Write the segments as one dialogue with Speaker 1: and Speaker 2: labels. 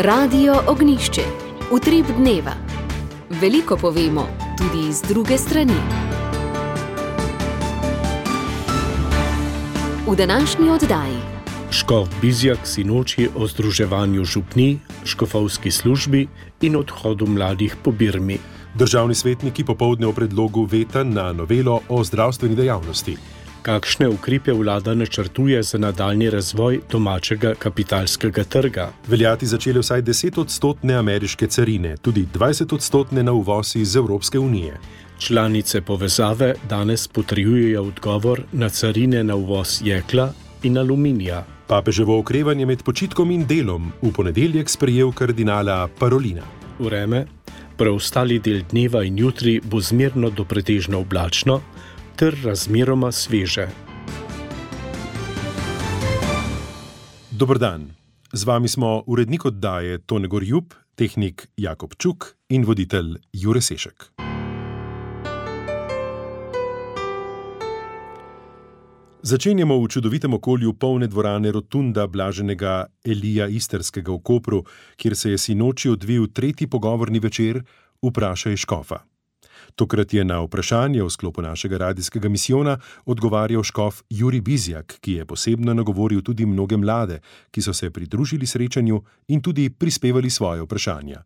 Speaker 1: Radio Ognjišče. Utrip dneva. Veliko povemo, tudi iz druge strani. V današnji oddaji.
Speaker 2: Škof Bizjak sinoči o združevanju župnij, škofovski službi in odhodu mladih po Birmi.
Speaker 3: Državni svetniki popoldne o predlogu veta na novelo o zdravstveni dejavnosti.
Speaker 2: Kakšne ukrepe vlada načrtuje za nadaljnji razvoj domačega kapitalskega trga?
Speaker 3: Veljati začele vsaj 10% ameriške carine, tudi 20% na uvoz iz Evropske unije.
Speaker 2: Članice povezave danes potrjujejo odgovor na carine na uvoz jekla in aluminija.
Speaker 3: Papeževo okrevanje med počitkom in delom v ponedeljek sprejel kardinala Parolina.
Speaker 2: Vreme, preostali del dneva in jutri bo zmerno do pretežno oblačno ter razmeroma sveže.
Speaker 3: Dober dan. Z vami smo urednik oddaje Tone Gorjup, tehnik Jakob Čuk in voditelj Jure Sešek. Začenjamo v čudovitem okolju polne dvorane Rotunda blaženega Elija Istrskega v Kopru, kjer se je sinoči odvil tretji pogovorni večer Vprašaj škofa. Tokrat je na vprašanje v sklopu našega radijskega misijona odgovarjal škof Jurij Bizjak, ki je posebno nagovoril tudi mnoge mlade, ki so se pridružili srečanju in tudi prispevali svoje vprašanja.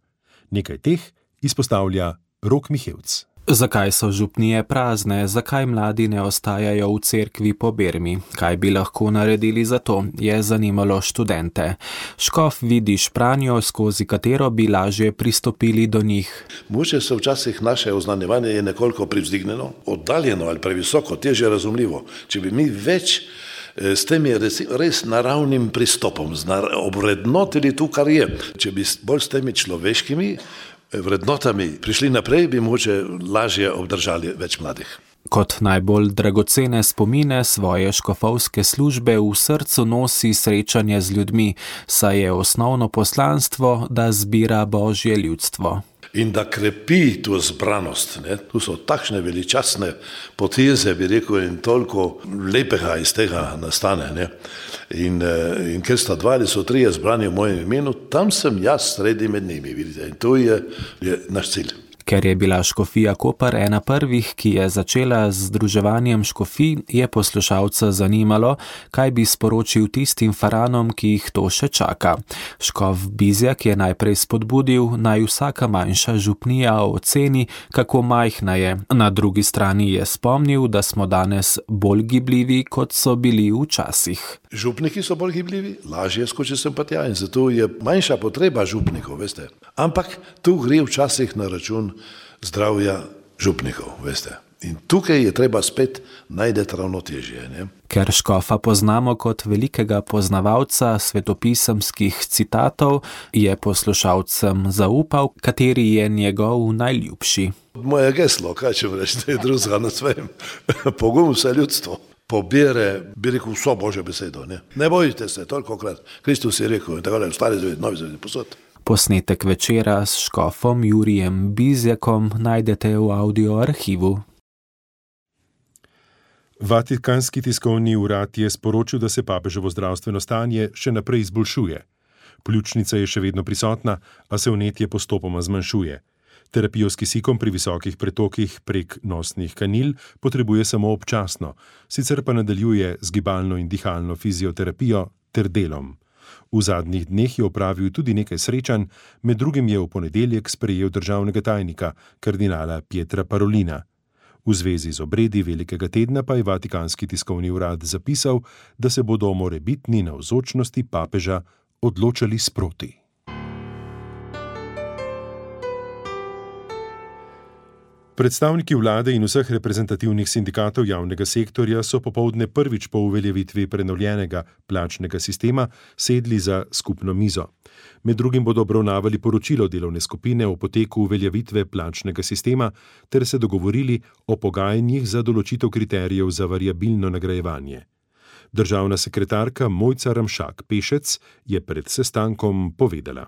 Speaker 3: Nekaj teh izpostavlja Rok Mihevc.
Speaker 4: Zakaj so župnije prazne? Zakaj mladi ne ostajajo v cerkvi po Birmi? Kaj bi lahko naredili za to? Je zanimalo študente. Škof vidi špranjo, skozi katero bi lažje pristopili do njih.
Speaker 5: Mogoče se včasih naše oznanjevanje je nekoliko privzdignjeno, oddaljeno ali previsoko, težje razumljivo. Če bi mi več s tem res naravnim pristopom obvrednotili to, kar je, če bi bolj s temi človeškimi vrednotami prišli naprej, bi mogoče lažje obdržali več mladih.
Speaker 4: Kot najbolj dragocene spomine svoje škofovske službe v srcu nosi srečanje z ljudmi, saj je osnovno poslanstvo, da zbira Božje ljudstvo.
Speaker 5: In da krepi tu zbranost. Tu so takšne veličastne poteze, bi rekel, in toliko lepega iz tega nastane. In ker sta dva ali so trije zbrani v mojem imenu, tam sem jaz sredi med njimi, vidite. In to je naš cilj.
Speaker 4: Ker je bila škofija Koper ena prvih, ki je začela z združevanjem škofij, je poslušalca zanimalo, kaj bi sporočil tistim faranom, ki jih to še čaka. Škof Bizjak je najprej spodbudil, naj vsaka manjša župnija oceni, kako majhna je. Na drugi strani je spomnil, da smo danes bolj gibljivi, kot so bili včasih.
Speaker 5: Župniki so bolj gibljivi, lažje skoči sem pa tja in zato je manjša potreba župnikov, veste. Ampak tu gre včasih na račun zdravja župnikov, veste. In tukaj je treba spet najdeti ravnotežje.
Speaker 4: Ker škofa poznamo kot velikega poznavalca svetopisemskih citatov, je poslušalcem zaupal, kateri je njegov najljubši.
Speaker 5: Moje geslo, kaj če reči, je drugega na svojem. Pogum vse ljudstvo. Pobere, bi rekel, vso Božjo besedo. Ne bojite se, tolikokrat. Kristus je rekel, in tako da je stari zaved, novi zaved, posod.
Speaker 4: Posnetek večera s škofom Jurijem Bizjakom najdete v audio arhivu.
Speaker 3: Vatikanski tiskovni urad je sporočil, da se papeževo zdravstveno stanje še naprej izboljšuje. Pljučnica je še vedno prisotna, a se vnetje postopoma zmanjšuje. Terapijo s kisikom pri visokih pretokih prek nosnih kanil potrebuje samo občasno, sicer pa nadaljuje z gibalno in dihalno fizioterapijo ter delom. V zadnjih dneh je opravil tudi nekaj srečanj, med drugim je v ponedeljek sprejel državnega tajnika, kardinala Pietra Parolina. V zvezi z obredi velikega tedna pa je Vatikanski tiskovni urad zapisal, da se bodo o morebitni navzočnosti papeža odločali sproti. Predstavniki vlade in vseh reprezentativnih sindikatov javnega sektorja so popoldne prvič po uveljavitvi prenovljenega plačnega sistema sedli za skupno mizo. Med drugim bodo obravnavali poročilo delovne skupine o poteku uveljavitve plačnega sistema ter se dogovorili o pogajanjih za določitev kriterijev za variabilno nagrajevanje. Državna sekretarka Mojca Ramšak Pešec je pred sestankom povedala.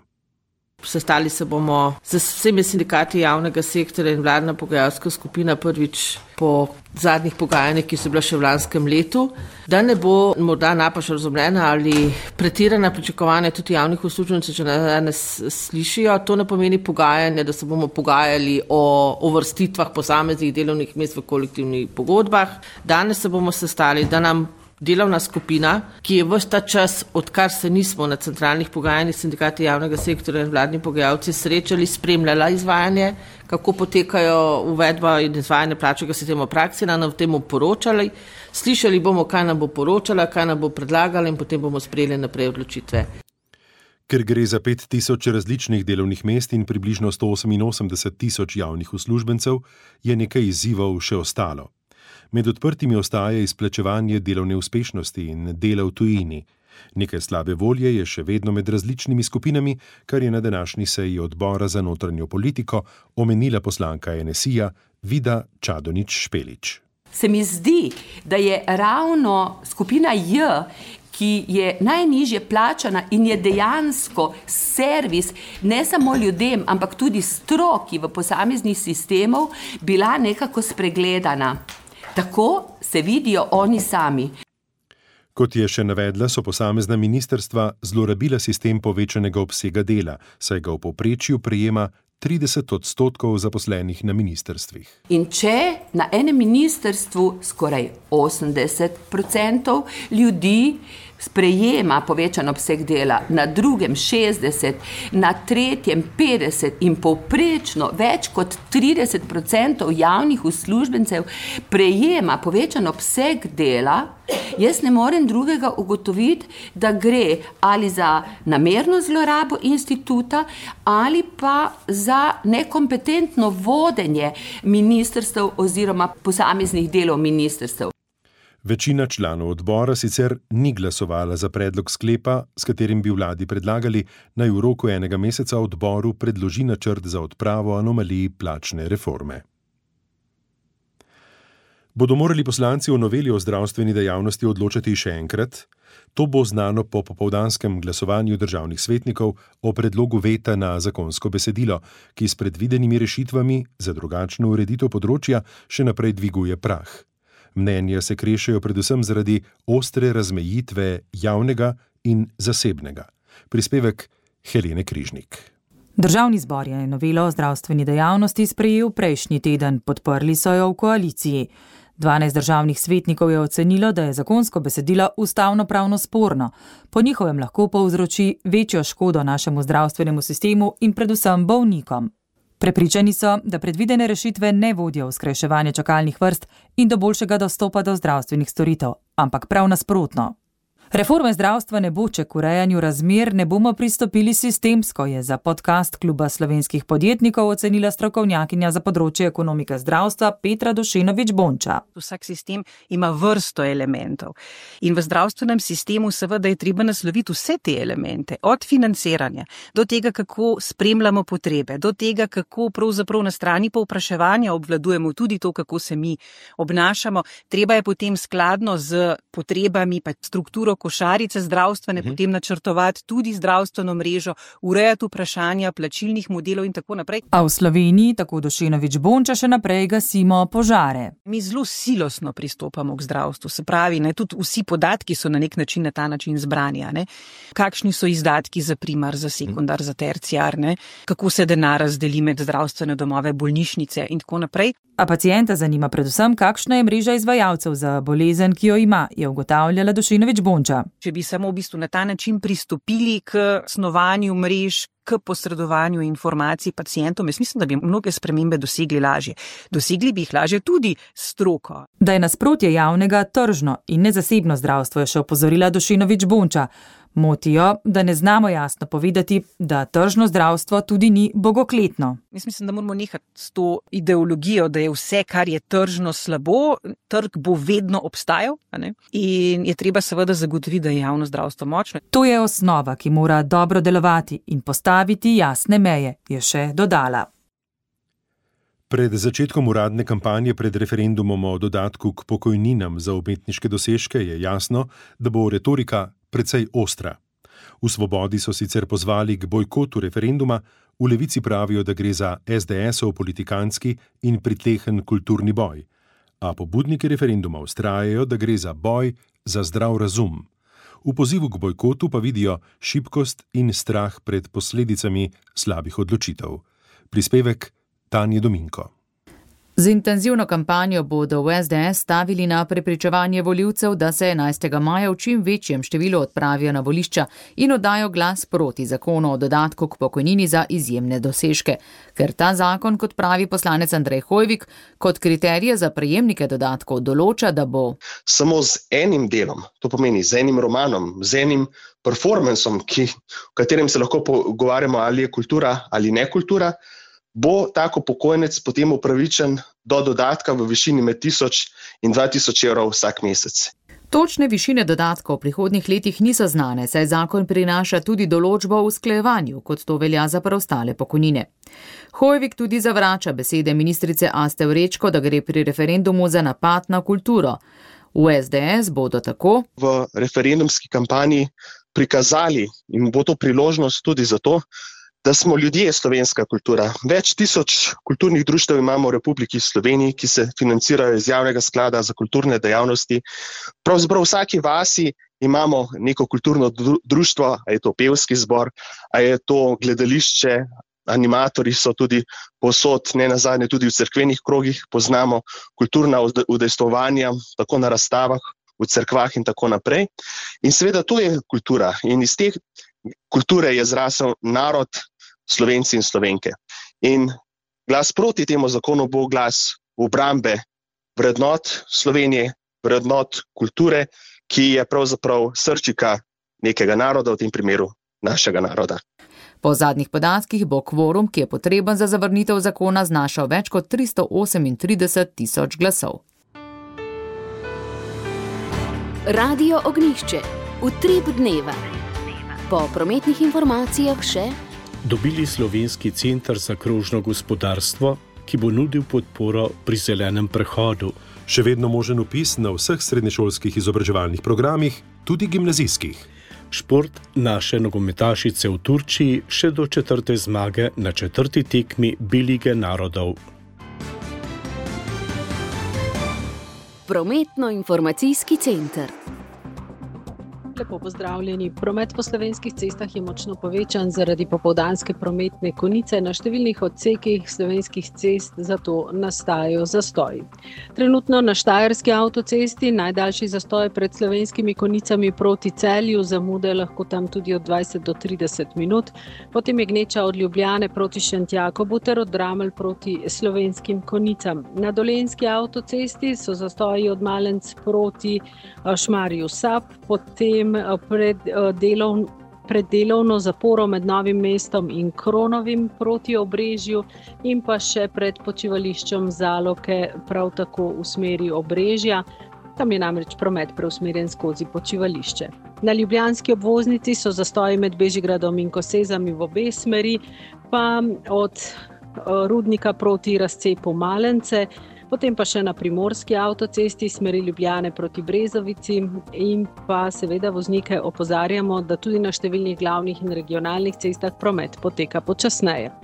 Speaker 6: Sestali se bomo z vsemi sindikati javnega sektorja in vladna pogajalska skupina prvič po zadnjih pogajanjih, ki so bila še v lanskem letu, da ne bo morda napačno razumljena ali pretirana pričakovanja tudi javnih uslužbencev, če danes slišijo. To ne pomeni pogajanje, da se bomo pogajali o uvrstitvah posameznih delovnih mest v kolektivnih pogodbah. Danes se bomo sestali, da nam delovna skupina, ki je ves ta čas, odkar se nismo na centralnih pogajanjih sindikati javnega sektorja in vladni pogajalci srečali, spremljala izvajanje, kako potekajo uvedba in izvajanje plačnega sistema v praksi, nam v temu poročali. Slišali bomo, kaj nam bo poročala, kaj nam bo predlagala in potem bomo sprejeli naprej odločitve.
Speaker 3: Ker gre za 5000 različnih delovnih mest in približno 188 000 javnih uslužbencev, je nekaj izzivov še ostalo. Med odprtimi ostaja izplačevanje delovne uspešnosti in dela v tujini. Nekaj slabe volje je še vedno med različnimi skupinami, kar je na današnji seji odbora za notranjo politiko omenila poslanka NSI-ja Vida Čadonič Špelič.
Speaker 7: Se mi zdi, da je ravno skupina J, ki je najnižje plačana in je dejansko servis ne samo ljudem, ampak tudi stroki v posameznih sistemov, bila nekako spregledana. Tako se vidijo oni sami.
Speaker 3: Kot je še navedla, so posamezna ministrstva zlorabila sistem povečanega obsega dela, saj ga v povprečju prejema 30% zaposlenih na ministrstvih.
Speaker 7: In če na enem ministrstvu skoraj 80% ljudi sprejema povečan obseg dela, na drugem 60%, na tretjem 50% in povprečno več kot 30% javnih uslužbencev prejema povečan obseg dela, jaz ne morem drugega ugotoviti, da gre ali za namerno zlorabo instituta ali pa za nekompetentno vodenje ministrstev oziroma posameznih delov ministrstev.
Speaker 3: Večina članov odbora sicer ni glasovala za predlog sklepa, s katerim bi vladi predlagali, naj v roku 1 meseca odboru predloži načrt za odpravo anomalij plačne reforme. Bodo morali poslanci o noveli o zdravstveni dejavnosti odločati še enkrat? To bo znano po popoldanskem glasovanju državnih svetnikov o predlogu veta na zakonsko besedilo, ki s predvidenimi rešitvami za drugačno ureditev področja še naprej dviguje prah. Mnenja se krešejo predvsem zaradi ostre razmejitve javnega in zasebnega. Prispevek Helene Križnik.
Speaker 8: Državni zbor je novelo o zdravstveni dejavnosti sprejel prejšnji teden, podprli so jo v koaliciji. 12 državnih svetnikov je ocenilo, da je zakonsko besedilo ustavnopravno sporno. Po njihovem lahko povzroči večjo škodo našemu zdravstvenemu sistemu in predvsem bolnikom. Prepričani so, da predvidene rešitve ne vodijo v skrajševanje čakalnih vrst in do boljšega dostopa do zdravstvenih storitev, ampak prav nasprotno. Reforme zdravstva ne bo, če k urejanju razmer ne bomo pristopili sistemsko, je za podcast Kluba slovenskih podjetnikov ocenila strokovnjakinja za področje ekonomike zdravstva Petra Dušenović Bonča.
Speaker 9: Vsak sistem ima vrsto elementov in v zdravstvenem sistemu seveda je treba nasloviti vse te elemente, od financiranja do tega, kako spremljamo potrebe, do tega, kako pravzaprav na strani povpraševanja obvladujemo tudi to, kako se mi obnašamo. Treba je potem skladno z potrebami pa strukturo košarice zdravstvene, potem načrtovati tudi zdravstveno mrežo, urejati vprašanja plačilnih modelov in tako naprej.
Speaker 8: A v Sloveniji, tako Dušenović Bonča, še naprej gasimo požare.
Speaker 9: Mi zelo silosno pristopamo k zdravstvu, se pravi, tudi vsi podatki so na nek način na ta način zbrani. Kakšni so izdatki za primar, za sekundar, za terciar, kako se denar razdeli med zdravstvene domove, bolnišnice in tako naprej.
Speaker 8: A pacienta zanima predvsem, kakšna je mreža izvajalcev za bolezen, ki jo ima, je ugotavljala Dušenović Bonča.
Speaker 9: Če bi samo v bistvu na ta način pristopili k snovanju mrež, k posredovanju informacij pacientom, jaz mislim, da bi mnoge spremembe dosegli lažje. Dosegli bi jih lažje tudi stroko.
Speaker 8: Da je nasprotje javnega tržno in nezasebno zdravstvo, je še opozorila Dušenović Bonča. Motijo, da ne znamo jasno povedati, da tržno zdravstvo tudi ni bogokletno.
Speaker 9: Mislim, da moramo nehati s to ideologijo, da je vse, kar je tržno, slabo, trg bo vedno obstajal, in je treba seveda zagotoviti, da je javno zdravstvo močno.
Speaker 8: To je osnova, ki mora dobro delovati in postaviti jasne meje, je še dodala.
Speaker 3: Pred začetkom uradne kampanje pred referendumom o dodatku k pokojninam za umetniške dosežke je jasno, da bo retorika precej ostra. V Svobodi so sicer pozvali k bojkotu referenduma, v Levici pravijo, da gre za SDS-ov politikantski in pritlehen kulturni boj. A pobudniki referenduma vztrajajo, da gre za boj za zdrav razum. V pozivu k bojkotu pa vidijo šibkost in strah pred posledicami slabih odločitev. Prispevek Tanje Dominko.
Speaker 8: Z intenzivno kampanjo bodo v SDS stavili na prepričevanje volivcev, da se 11. maja v čim večjem številu odpravijo na volišča in oddajo glas proti zakonu o dodatku k pokojnini za izjemne dosežke. Ker ta zakon, kot pravi poslanec Andrej Hoivik, kot kriterije za prejemnike dodatkov določa, da bo
Speaker 10: samo z enim delom, to pomeni z enim romanom, z enim performansom, v katerem se lahko pogovarjamo, ali je kultura ali ne kultura, bo tako pokojnec potem upravičen do dodatka v višini med 1000 in 2000 evrov vsak mesec.
Speaker 8: Točne višine dodatkov v prihodnjih letih niso znane, saj zakon prinaša tudi določbo o usklajevanju, kot to velja za preostale pokojnine. Hoivik tudi zavrača besede ministrice Aste Vrečko, da gre pri referendumu za napad na kulturo. V SDS bodo tako
Speaker 10: v referendumski kampanji prikazali, in bo to priložnost tudi za to, da smo ljudje slovenska kultura. Več tisoč kulturnih društev imamo v Republiki Sloveniji, ki se financirajo iz javnega sklada za kulturne dejavnosti. Pravzaprav v vsaki vasi imamo neko kulturno društvo, a je to pevski zbor, a je to gledališče, animatorji so tudi povsod, ne nazadnje tudi v cerkvenih krogih, poznamo kulturna udejstvovanja, tako na razstavah, v cerkvah in tako naprej. In seveda to je kultura in iz te kulture je zrasel narod, Slovenci in Slovenke. In glas proti temu zakonu bo glas obrambe vrednot Slovenije, vrednot kulture, ki je pravzaprav srčika nekega naroda, v tem primeru našega naroda.
Speaker 8: Po zadnjih podatkih bo kvorum, ki je potreben za zavrnitev zakona, znašal več kot 338.000 glasov.
Speaker 1: Radio Ognjišče. Utrip dneva. Po prometnih informacijah še
Speaker 2: dobili Slovenski center za krožno gospodarstvo, ki bo nudil podporo pri zelenem prehodu.
Speaker 3: Še vedno možen vpis na vseh srednješolskih izobraževalnih programih, tudi gimnazijskih.
Speaker 2: Šport naše nogometašice v Turčiji še do 4. zmage na 4. tekmi B-lige narodov.
Speaker 1: Prometno-informacijski center.
Speaker 11: Lepo pozdravljeni. Promet po slovenskih cestah je močno povečan zaradi popoldanske prometne konice. Na številnih odsekih slovenskih cest zato nastajajo zastoji. Trenutno na Štajerski avtocesti najdaljši zastoj pred slovenskimi konicami proti Celju, zamude lahko tam tudi od 20 do 30 minut. Potem je gneča od Ljubljane proti Šentjakobu ter od Dramelj proti slovenskim konicam. Na Dolenjski avtocesti so zastoji od Malenc proti Šmarju Sap, potem pred delovno zaporo med Novim mestom in Kronovim proti Obrežju in pa še pred počivališčem Zaloke prav tako v smeri Obrežja. Tam je namreč promet preusmerjen skozi počivališče. Na ljubljanski obvoznici so zastoji med Bežigradom in Kosezami v obe smeri, pa od Rudnika proti razcepu Malence, potem pa še na Primorski avtocesti smeri Ljubljane proti Brezovici in pa seveda voznike opozarjamo, da tudi na številnih glavnih in regionalnih cestah promet poteka počasneje.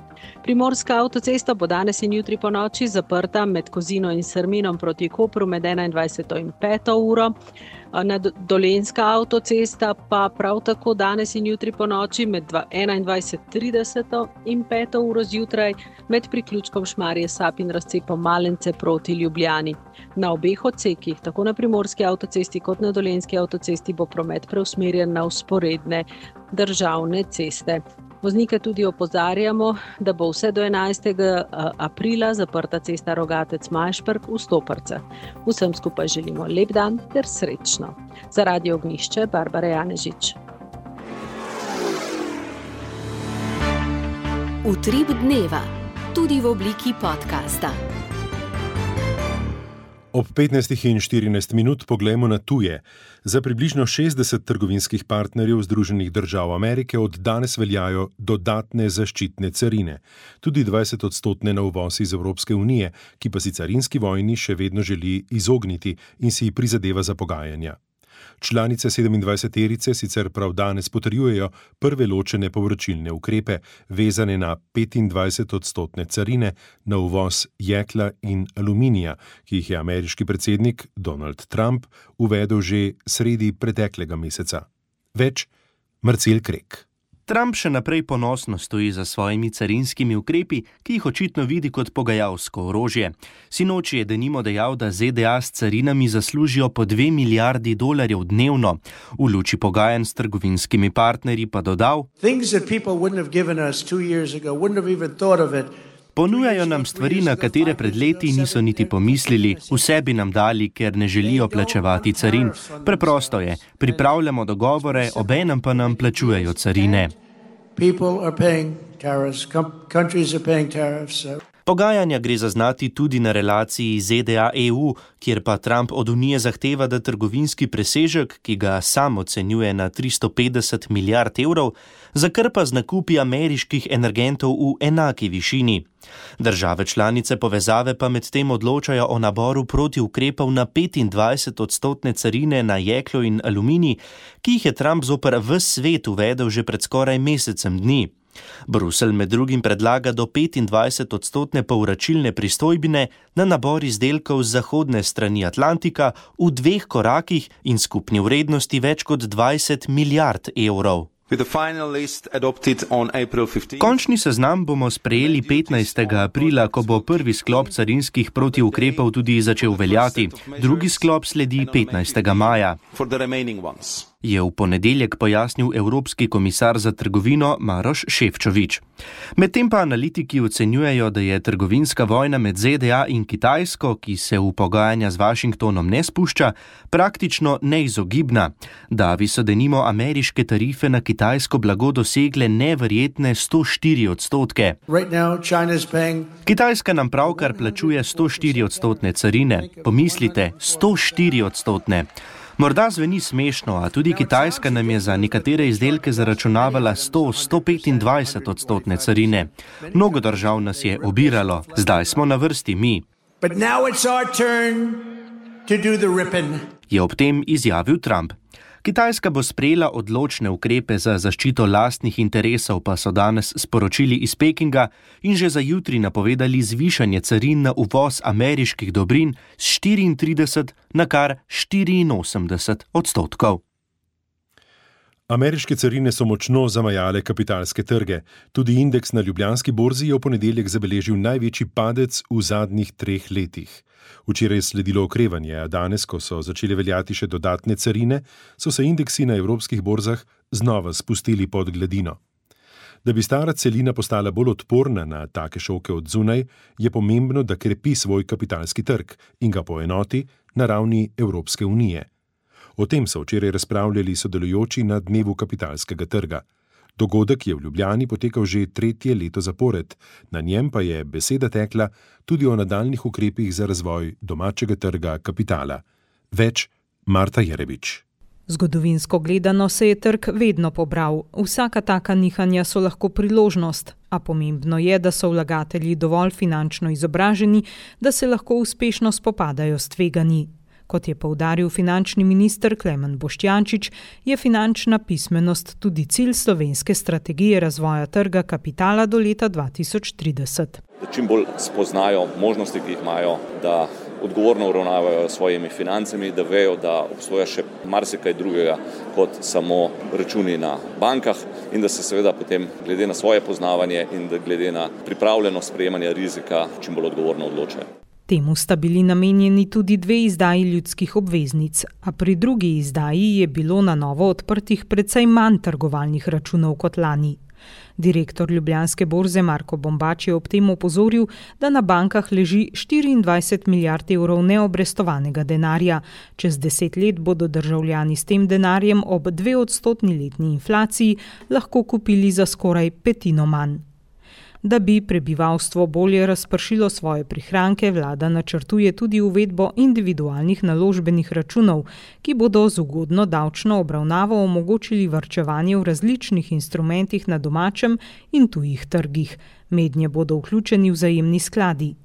Speaker 11: Primorska avtocesta bo danes in jutri ponoči zaprta med Kozino in Srminom proti Kopru med 21. in 5. uro. Dolenjska avtocesta pa prav tako danes in jutri ponoči med 21:30 in 5. uro zjutraj med priključkom Šmarje Sap in razcepom Malence proti Ljubljani. Na obeh odsekih, tako na Primorski avtocesti kot na Dolenjski avtocesti, bo promet preusmerjen na vzporedne državne ceste. Voznike tudi opozarjamo, da bo vse do 11. aprila zaprta cesta Rogatec-Majšperk v Stoparcah. Vsem skupaj želimo lep dan ter srečno. Za Radio Ognjišče, Barbara Janežič.
Speaker 1: Utrip dneva, tudi v obliki podcasta.
Speaker 3: Ob 15:14 poglejmo na tuje. Za približno 60 trgovinskih partnerjev Združenih držav Amerike od danes veljajo dodatne zaščitne carine, tudi 20% na uvoz iz Evropske unije, ki pa si carinski vojni še vedno želi izogniti in si prizadeva za pogajanja. Članice 27-terice sicer prav danes potrjujejo prve ločene povračilne ukrepe, vezane na 25% carine na uvoz jekla in aluminija, ki jih je ameriški predsednik Donald Trump uvedel že sredi preteklega meseca. Več Marcel Krek.
Speaker 12: Trump še naprej ponosno stoji za svojimi carinskimi ukrepi, ki jih očitno vidi kot pogajalsko orožje. Sinoči je denimo dejal, da ZDA s carinami zaslužijo po $2 milijardi dnevno. V luči pogajanj s trgovinskimi partnerji pa dodal: Ponujajo nam stvari, na katere pred leti niso niti pomislili, vse bi nam dali, ker ne želijo plačevati carin. Preprosto je, pripravljamo dogovore, obenem pa nam plačujejo carine. Pogajanja gre zaznati tudi na relaciji ZDA-EU, kjer pa Trump od Unije zahteva, da trgovinski presežek, ki ga sam ocenjuje na 350 milijard evrov, zakrpa z nakupi ameriških energentov v enaki višini. Države članice povezave pa medtem odločajo o naboru protiukrepov na 25% carine na jeklo in aluminij, ki jih je Trump zoper ves svet uvedel že pred skoraj mesecem dni. Bruselj med drugim predlaga do 25% povračilne pristojbine na nabor izdelkov z zahodne strani Atlantika v 2 korakih in skupni vrednosti več kot 20 milijard evrov. Končni seznam bomo sprejeli 15. aprila, ko bo prvi sklop carinskih protiukrepov tudi začel veljati. Drugi sklop sledi 15. maja. Je v ponedeljek pojasnil evropski komisar za trgovino Maroš Šefčovič. Medtem pa analitiki ocenjujejo, da je trgovinska vojna med ZDA in Kitajsko, ki se v pogajanja z Washingtonom ne spušča, praktično neizogibna. Da so denimo ameriške tarife na kitajsko blago dosegle neverjetne 104%. Kitajska nam pravkar plačuje 104% carine. Pomislite, 104%. Morda zveni smešno, a tudi Kitajska nam je za nekatere izdelke zaračunavala 100-125% carine. Mnogo držav nas je obiralo, zdaj smo na vrsti mi. Je ob tem izjavil Trump. Kitajska bo sprejela odločne ukrepe za zaščito lastnih interesov, pa so danes sporočili iz Pekinga in že za jutri napovedali zvišanje carin na uvoz ameriških dobrin z 34 na kar 84%.
Speaker 3: Ameriške carine so močno zamajale kapitalske trge. Tudi indeks na Ljubljanski borzi je v ponedeljek zabeležil največji padec v zadnjih 3 letih. Včeraj je sledilo okrevanje, a danes, ko so začele veljati še dodatne carine, so se indeksi na evropskih borzah znova spustili pod gladino. Da bi stara celina postala bolj odporna na take šoke od zunaj, je pomembno, da krepi svoj kapitalski trg in ga poenoti na ravni Evropske unije. O tem so včeraj razpravljali sodelujoči na dnevu kapitalskega trga. Dogodek je v Ljubljani potekal že 3. leto zapored, na njem pa je beseda tekla tudi o nadaljnih ukrepih za razvoj domačega trga kapitala. Več Marta Jerebič.
Speaker 13: Zgodovinsko gledano se je trg vedno pobral. Vsaka taka nihanja so lahko priložnost, a pomembno je, da so vlagatelji dovolj finančno izobraženi, da se lahko uspešno spopadajo s tveganji. Kot je poudaril finančni minister Klemen Boštjančič, je finančna pismenost tudi cilj slovenske strategije razvoja trga kapitala do leta 2030.
Speaker 14: Da čim bolj spoznajo možnosti, ki jih imajo, da odgovorno uravnavajo svojimi financami, da vejo, da obstoja še marsikaj drugega kot samo računi na bankah in da se seveda potem glede na svoje poznavanje in da glede na pripravljenost sprejemanja rizika čim bolj odgovorno odločajo.
Speaker 13: Temu sta bili namenjeni tudi 2 izdaji ljudskih obveznic, a pri drugi izdaji je bilo na novo odprtih precej manj trgovalnih računov kot lani. Direktor Ljubljanske borze Marko Bombač je ob tem opozoril, da na bankah leži 24 milijard evrov neobrestovanega denarja. Čez 10 let bodo državljani s tem denarjem ob 2% letni inflaciji lahko kupili za skoraj 1/5 manj. Da bi prebivalstvo bolje razpršilo svoje prihranke, vlada načrtuje tudi uvedbo individualnih naložbenih računov, ki bodo z ugodno davčno obravnavo omogočili varčevanje v različnih instrumentih na domačem in tujih trgih. Mednje bodo vključeni vzajemni skladi.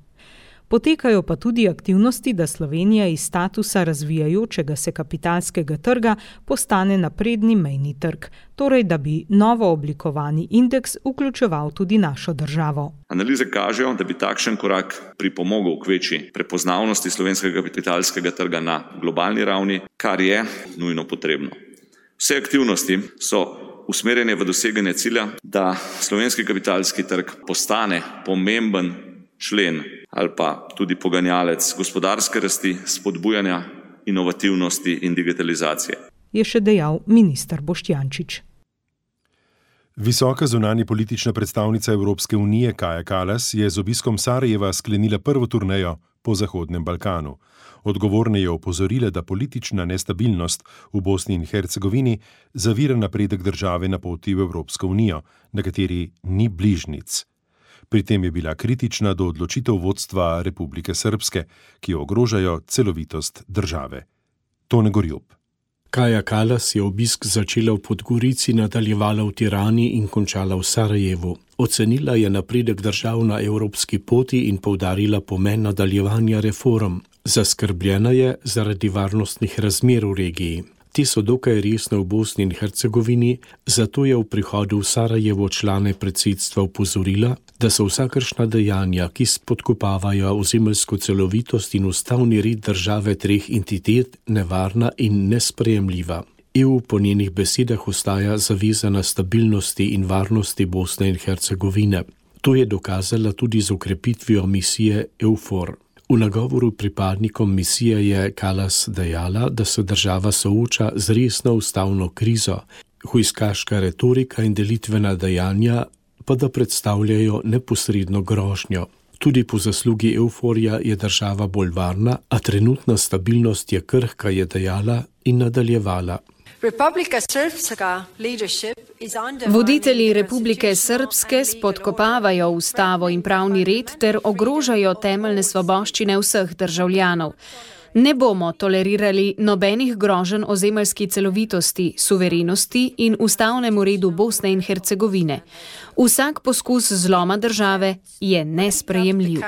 Speaker 13: Potekajo pa tudi aktivnosti, da Slovenija iz statusa razvijajočega se kapitalskega trga postane napredni mejni trg, torej da bi novo oblikovani indeks vključeval tudi našo državo.
Speaker 14: Analize kažejo, da bi takšen korak pripomogel k večji prepoznavnosti slovenskega kapitalskega trga na globalni ravni, kar je nujno potrebno. Vse aktivnosti so usmerjene v doseganje cilja, da slovenski kapitalski trg postane pomemben člen ali pa tudi poganjalec gospodarske rasti, spodbujanja inovativnosti in digitalizacije.
Speaker 13: Je še dejal minister Boštjančič.
Speaker 3: Visoka zunanja politična predstavnica Evropske unije Kaja Kallas je z obiskom Sarajeva sklenila prvo turnejo po Zahodnem Balkanu. Odgovorne je opozorila, da politična nestabilnost v Bosni in Hercegovini zavira napredek države na poti v Evropsko unijo, na kateri ni bližnjic. Pri tem je bila kritična do odločitev vodstva Republike Srpske, ki ogrožajo celovitost države. Tone Gorjup.
Speaker 2: Kaja Kallas je obisk začela v Podgorici, nadaljevala v Tirani in končala v Sarajevu. Ocenila je napredek držav na evropski poti in poudarila pomen nadaljevanja reform. Zaskrbljena je zaradi varnostnih razmer v regiji. Ti so dokaj resne v Bosni in Hercegovini, zato je v prihodu v Sarajevo člane predsedstva opozorila, da so vsakršna dejanja, ki spodkopavajo ozemeljsko celovitost in ustavni red države treh entitet, nevarna in nesprejemljiva. EU po njenih besedah ostaja zavezana stabilnosti in varnosti Bosne in Hercegovine. To je dokazala tudi z okrepitvijo misije EUFOR. V nagovoru pripadnikom misije je Kallas dejala, da se država sooča z resno ustavno krizo, hujskaška retorika in delitvena dejanja pa da predstavljajo neposredno grožnjo. Tudi po zaslugi EUFOR-ja je država bolj varna, a trenutna stabilnost je krhka, je dejala in nadaljevala.
Speaker 15: Voditelji Republike Srpske spodkopavajo ustavo in pravni red ter ogrožajo temeljne svoboščine vseh državljanov. Ne bomo tolerirali nobenih groženj ozemeljski celovitosti, suverenosti in ustavnemu redu Bosne in Hercegovine. Vsak poskus zloma države je nesprejemljiv.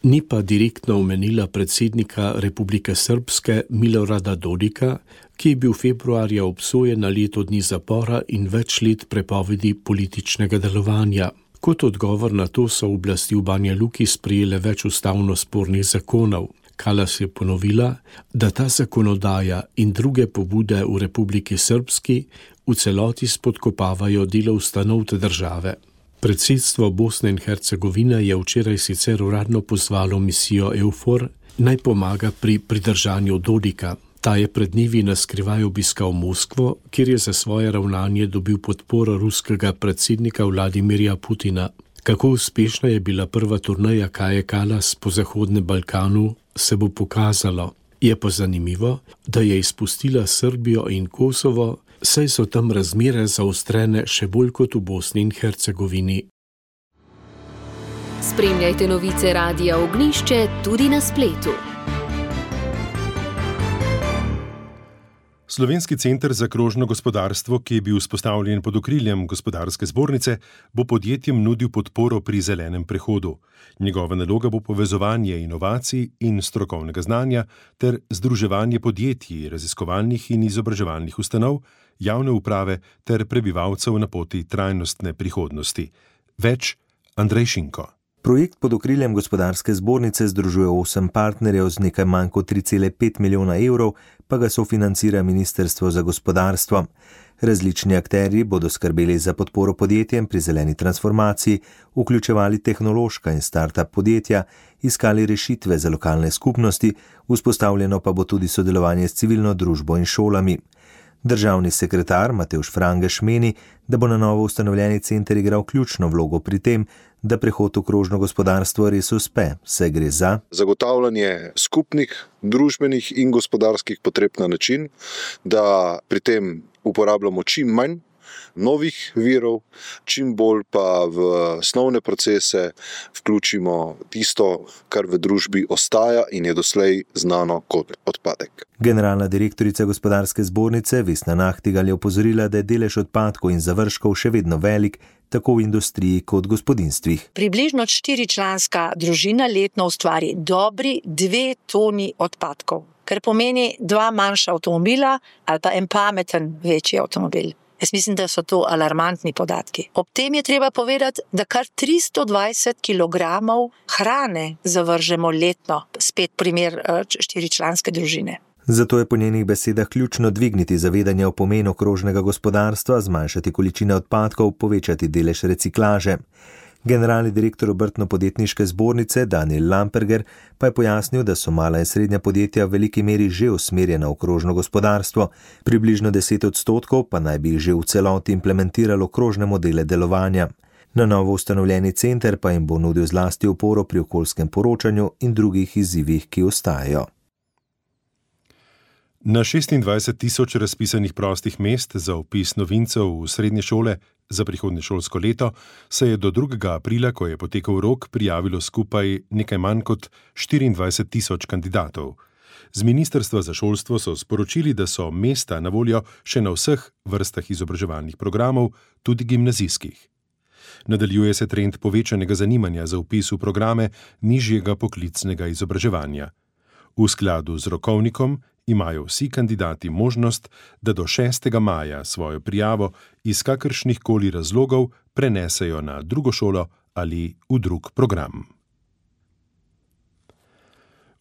Speaker 2: Ni pa direktno omenila predsednika Republike Srpske Milorada Dodika, ki je bil februarja obsojen na leto dni zapora in več let prepovedi političnega delovanja. Kot odgovor na to so oblasti v Banja Luki sprejele več ustavno spornih zakonov. Kallas je ponovila, da ta zakonodaja in druge pobude v Republiki Srpski v celoti spodkopavajo delo ustanov te države. Predsedstvo Bosne in Hercegovine je včeraj sicer uradno pozvalo misijo EUFOR, naj pomaga pri pridržanju Dodika. Ta je pred dnevi na skrivaj obiskal Moskvo, kjer je za svoje ravnanje dobil podporo ruskega predsednika Vladimirja Putina. Kako uspešna je bila prva turneja Kaje Kallas po Zahodnem Balkanu, se bo pokazalo. Je pa zanimivo, da je izpustila Srbijo in Kosovo, saj so tam razmere zaostrene še bolj kot v Bosni in Hercegovini.
Speaker 1: Spremljajte novice Radia Ognjišče tudi na spletu.
Speaker 3: Slovenski center za krožno gospodarstvo, ki je bil vzpostavljen pod okriljem Gospodarske zbornice, bo podjetjem nudil podporo pri zelenem prehodu. Njegova naloga bo povezovanje inovacij in strokovnega znanja ter združevanje podjetij, raziskovalnih in izobraževalnih ustanov, javne uprave ter prebivalcev na poti trajnostne prihodnosti. Več Andrej Šinko.
Speaker 16: Projekt pod okriljem Gospodarske zbornice združuje 8 partnerjev z nekaj manj kot 3,5 milijona evrov, pa ga sofinancira Ministrstvo za gospodarstvo. Različni akterji bodo skrbeli za podporo podjetjem pri zeleni transformaciji, vključevali tehnološka in start-up podjetja, iskali rešitve za lokalne skupnosti, vzpostavljeno pa bo tudi sodelovanje s civilno družbo in šolami. Državni sekretar Matevž Frangeš meni, da bo na novo ustanovljeni center igral ključno vlogo pri tem, da prehod v krožno gospodarstvo res uspe, saj gre za
Speaker 17: zagotavljanje skupnih, družbenih in gospodarskih potreb na način, da pri tem uporabljamo čim manj novih virov, čim bolj pa v osnovne procese vključimo tisto, kar v družbi ostaja in je doslej znano kot odpadek.
Speaker 16: Generalna direktorica Gospodarske zbornice Vesna Nahtigal je opozorila, da je delež odpadkov in završkov še vedno velik, tako v industriji kot gospodinstvih.
Speaker 18: Približno 4-članska družina letno ustvari dobri 2 toni odpadkov, kar pomeni 2 manjša avtomobila ali pa en pameten večji avtomobil. Jaz mislim, da so to alarmantni podatki. Ob tem je treba povedati, da kar 320 kg hrane zavržemo letno, spet primer 4-članske družine.
Speaker 16: Zato je po njenih besedah ključno dvigniti zavedanje o pomenu krožnega gospodarstva, zmanjšati količine odpadkov, povečati delež reciklaže. Generalni direktor Obrtno-podjetniške zbornice Daniel Lamperger pa je pojasnil, da so mala in srednja podjetja v veliki meri že usmerjena v krožno gospodarstvo, približno 10% pa naj bi jih že v celoti implementiralo krožne modele delovanja. Na novo ustanovljeni center pa jim bo nudil zlasti oporo pri okoljskem poročanju in drugih izzivih, ki ostajajo.
Speaker 3: Na 26.000 razpisanih prostih mest za vpis novincev v srednje šole za prihodnje šolsko leto se je do 2. aprila, ko je potekel rok, prijavilo skupaj nekaj manj kot 24.000 kandidatov. Z Ministrstva za šolstvo so sporočili, da so mesta na voljo še na vseh vrstah izobraževalnih programov, tudi gimnazijskih. Nadaljuje se trend povečanega zanimanja za vpis v programe nižjega poklicnega izobraževanja. V skladu z rokovnikom imajo vsi kandidati možnost, da do 6. maja svojo prijavo iz kakršnih koli razlogov prenesejo na drugo šolo ali v drug program.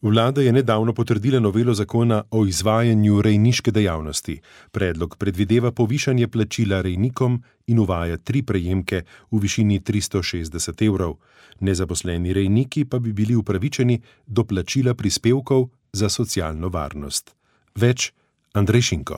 Speaker 3: Vlada je nedavno potrdila novelo zakona o izvajanju rejniške dejavnosti. Predlog predvideva povišanje plačila rejnikom in uvaja 3 prejemke v višini 360 evrov. Nezaposleni rejniki pa bi bili upravičeni do plačila prispevkov za socialno varnost. Več Andrej Šinko.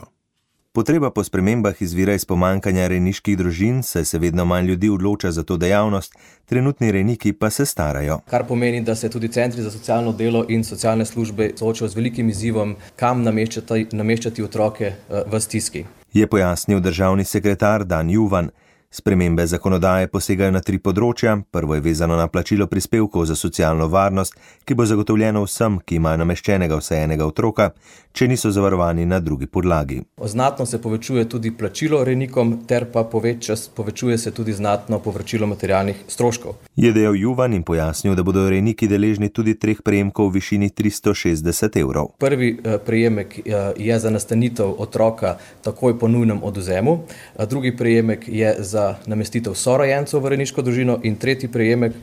Speaker 16: Potreba po spremembah izvira iz pomanjkanja rejniških družin, saj se vedno manj ljudi odloča za to dejavnost, trenutni rejniki pa se starajo.
Speaker 19: Kar pomeni, da se tudi centri za socialno delo in socialne službe soočajo z velikim izzivom, kam nameščati otroke v stiski.
Speaker 16: Je pojasnil državni sekretar Dan Juvan. Spremembe zakonodaje posegajo na 3 področja. Prvo je vezano na plačilo prispevkov za socialno varnost, ki bo zagotovljeno vsem, ki imajo nameščenega vsaj enega otroka, če niso zavarovani na drugi podlagi.
Speaker 19: Znatno se povečuje tudi plačilo rejnikom, ter pa povečuje se tudi znatno povračilo materialnih stroškov.
Speaker 16: Je dejal Juvan in pojasnil, da bodo rejniki deležni tudi 3 prejemkov v višini 360 evrov.
Speaker 19: Prvi prejemek je za nastanitev otroka takoj po nujnem odvzemu, drugi prejemek je za namestitev sorojencev v rejniško družino in tretji prejemek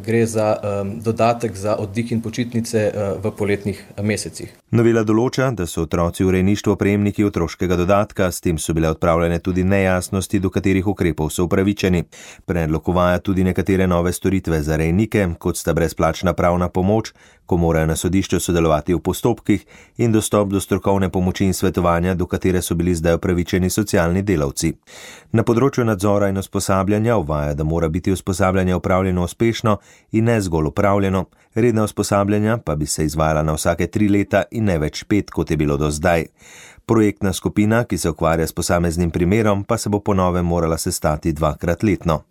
Speaker 19: gre za dodatek za oddih in počitnice v poletnih mesecih.
Speaker 16: Novela določa, da so otroci v rejništvu prejemniki otroškega dodatka, s tem so bile odpravljene tudi nejasnosti, do katerih ukrepov so upravičeni. Predlog uvaja tudi nekatere nove storitve za rejnike, kot sta brezplačna pravna pomoč, ko morajo na sodišču sodelovati v postopkih, in dostop do strokovne pomoči in svetovanja, do katere so bili zdaj upravičeni socialni delavci. Na področju nadzora in usposabljanja uvaja, da mora biti usposabljanje opravljeno uspešno in ne zgolj opravljeno, redna usposabljanja pa bi se izvajala na vsake 3 leta in ne več 5, kot je bilo do zdaj. Projektna skupina, ki se ukvarja s posameznim primerom, pa se bo po novem morala sestati 2-krat letno.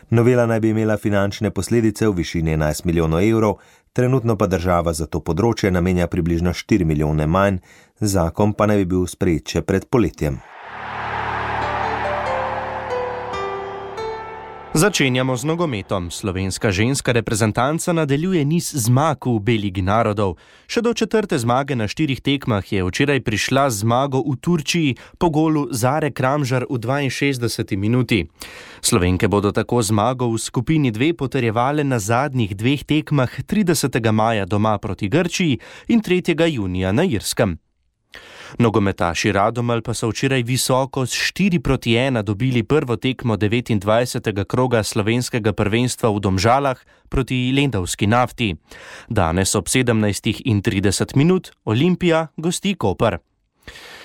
Speaker 16: Novela naj bi imela finančne posledice v višini 11 milijonov evrov, trenutno pa država za to področje namenja približno 4 milijone manj, zakon pa naj bi bil sprejet še pred poletjem.
Speaker 12: Začenjamo z nogometom. Slovenska ženska reprezentanca nadaljuje niz zmag v Beligi narodov. Še do 4. zmage na 4 tekmah je včeraj prišla zmago v Turčiji po golu Zare Kramžar v 62. minuti. Slovenke bodo tako zmago v skupini 2 potrjevale na zadnjih 2 tekmah 30. maja doma proti Grčiji in 3. junija na Irskem. Nogometaši Radomelj pa so včeraj visoko s 4-1 dobili prvo tekmo 29. kroga slovenskega prvenstva v Domžalah proti Lendavski Nafti. Danes ob 17:30 Olimpija gosti Koper.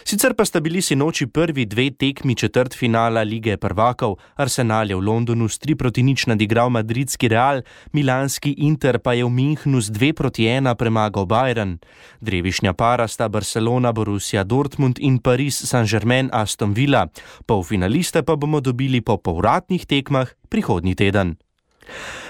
Speaker 12: Sicer pa sta bili sinoči prvi 2 tekmi četrtfinala Lige prvakov. Arsenal je v Londonu s 3-0 nadigral madridski Real, milanski Inter pa je v Münchnu s 2-1 premagal Bayern. Drevišnja para sta Barcelona, Borussia Dortmund in Paris Saint-Germain Aston Villa. Polfinaliste pa bomo dobili po povratnih tekmah prihodnji teden.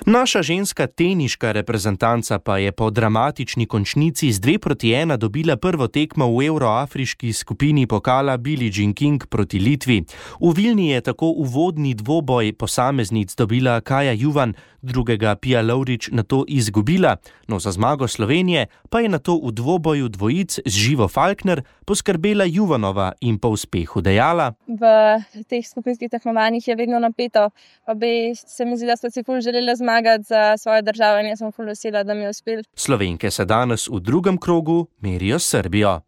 Speaker 12: Naša ženska teniška reprezentanca pa je po dramatični končnici z 2-1 dobila prvo tekmo v evroafriški skupini pokala Billie Jean King proti Litvi. V Vilni je tako uvodni dvoboj posameznic dobila Kaja Juvan, drugega Pia Lovrič nato izgubila, no za zmago Slovenije pa je nato v dvoboju dvojic z Živo Falkner poskrbela Juvanova in po uspehu dejala:
Speaker 20: V teh skupinskih tekmovanjih je vedno napeto, pa bi se mi zdi, da smo si ful želela zmagati za svojo državo in jaz sem ful vesela, da mi je uspel.
Speaker 12: Slovenke se danes v drugem krogu merijo s Srbijo.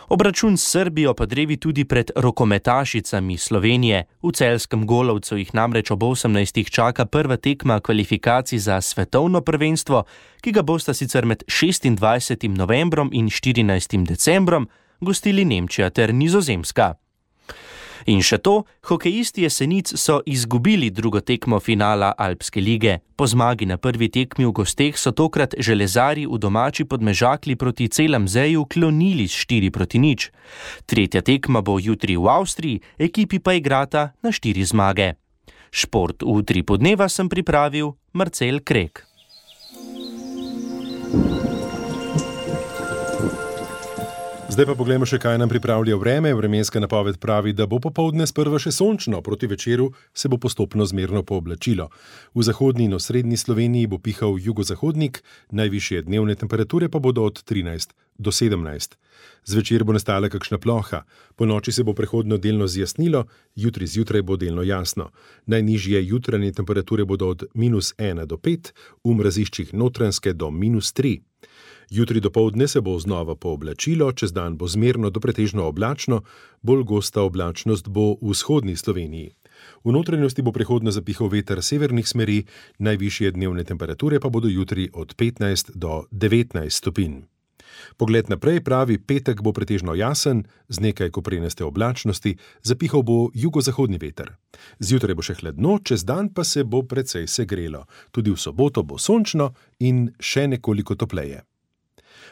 Speaker 12: Obračun s Srbijo pa drevi tudi pred rokometašicami Slovenije. V celjskem Golovcu jih namreč ob 18. čaka prva tekma kvalifikacij za svetovno prvenstvo, ki ga bosta sicer med 26. novembrom in 14. decembrom gostili Nemčija ter Nizozemska. In še to, hokejisti Jesenic so izgubili drugo tekmo finala Alpske lige. Po zmagi na prvi tekmi v gosteh so tokrat železarji v domači Podmežakli proti Celamzeju klonili s 4-0. Tretja tekma bo jutri v Avstriji, ekipi pa igrata na 4 zmage. Šport v Utripu dneva sem pripravil Marcel Krek.
Speaker 3: Zdaj pa poglejmo še, kaj nam pripravlja vreme. Vremenska napoved pravi, da bo popoldne sprva še sončno, proti večeru se bo postopno zmerno pooblačilo. V zahodni in osrednji Sloveniji bo pihal jugozahodnik, najvišje dnevne temperature pa bodo od 13 do 17. Zvečer bo nastala kakšna ploha, ponoči se bo prehodno delno zjasnilo, jutri zjutraj bo delno jasno. Najnižje jutranje temperature bodo od -1 do 5, v mraziščih Notranjske do -3. Jutri dopoldne se bo znova pooblačilo, čez dan bo zmerno do pretežno oblačno, bolj gosta oblačnost bo v vzhodni Sloveniji. V notranjosti bo prehodno zapihal veter severnih smeri, najvišje dnevne temperature pa bodo jutri od 15 do 19 stopinj. Pogled naprej pravi, petek bo pretežno jasen, z nekaj koprenaste oblačnosti, zapihal bo jugozahodni veter. Zjutraj bo še hladno, čez dan pa se bo precej segrelo. Tudi v soboto bo sončno in še nekoliko topleje.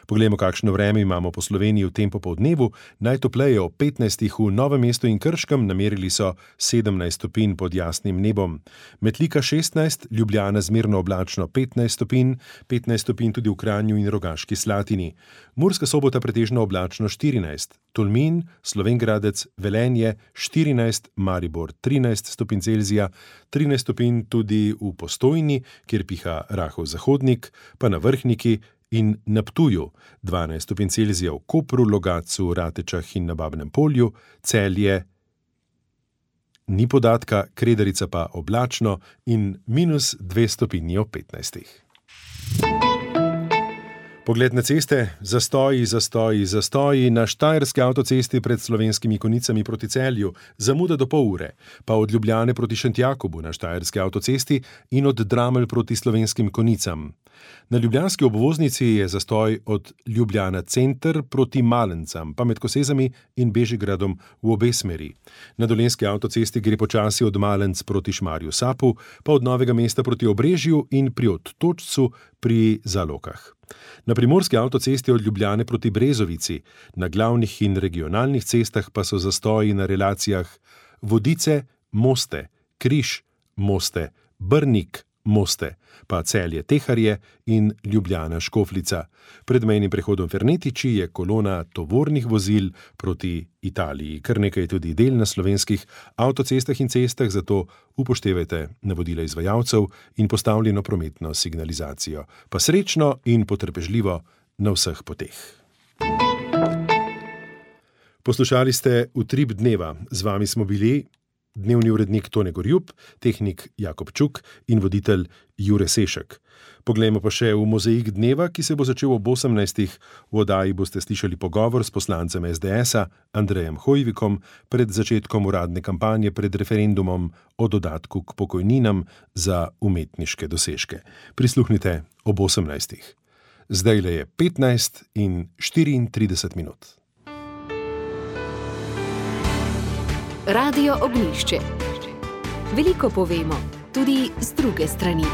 Speaker 3: Poglejmo, kakšno vreme imamo po Sloveniji v tem popoldnevu. Najtopleje ob 15 v Novem mestu in Krškem, namerili so 17 stopinj pod jasnim nebom. Metlika 16, Ljubljana zmerno oblačno 15 stopinj, 15 stopinj tudi v Kranju in Rogaški Slatini. Murska Sobota pretežno oblačno 14, Tolmin, Slovenj Gradec, Velenje 14, Maribor 13 stopinj Celzija, 13 stopinj tudi v Postojni, kjer piha rahel zahodnik, pa na Vrhniki in na Ptuju, 12 stopinj Celzija v Kopru, Logatcu, Ratečah in na Babnem Polju, Celje ni podatka, Kredarica pa oblačno in -2 stopinji ob 15. Pogled na ceste, zastoji na Štajerski avtocesti pred Slovenskimi Konicami proti Celju, zamuda do pol ure, pa od Ljubljane proti Šentjakobu na Štajerski avtocesti in od Dramelj proti Slovenskim Konicam. Na ljubljanski obvoznici je zastoj od Ljubljana center proti Malencam, pa med Kosezami in Bežigradom v obe smeri. Na Dolenjski avtocesti gre počasi od Malenc proti Šmarju Sapu, pa od Novega mesta proti Obrežju in pri Odtočcu pri Zalokah. Na Primorski avtocesti od Ljubljane proti Brezovici, na glavnih in regionalnih cestah pa so zastoji na relacijah Vodice, Moste, Križ, Moste, Brnik, Moste, pa Celje Teharje in Ljubljana Škofljica. Pred mejnim prehodom Fernetiči je kolona tovornih vozil proti Italiji. Kar nekaj je tudi del na slovenskih avtocestah in cestah, zato upoštevajte navodila izvajalcev in postavljeno prometno signalizacijo. Pa srečno in potrpežljivo na vseh poteh. Poslušali ste Utrip dneva. Z vami smo bili dnevni urednik Tone Gorjup, tehnik Jakob Čuk in voditelj Jure Sešek. Poglejmo pa še v mozaik dneva, ki se bo začel ob 18. V oddaji boste slišali pogovor s poslancem SDS-a Andrejem Hojvikom pred začetkom uradne kampanje pred referendumom o dodatku k pokojninam za umetniške dosežke. Prisluhnite ob 18. Zdajle je 15:34.
Speaker 1: Radio Ognjišče. Veliko povemo, tudi z druge strani.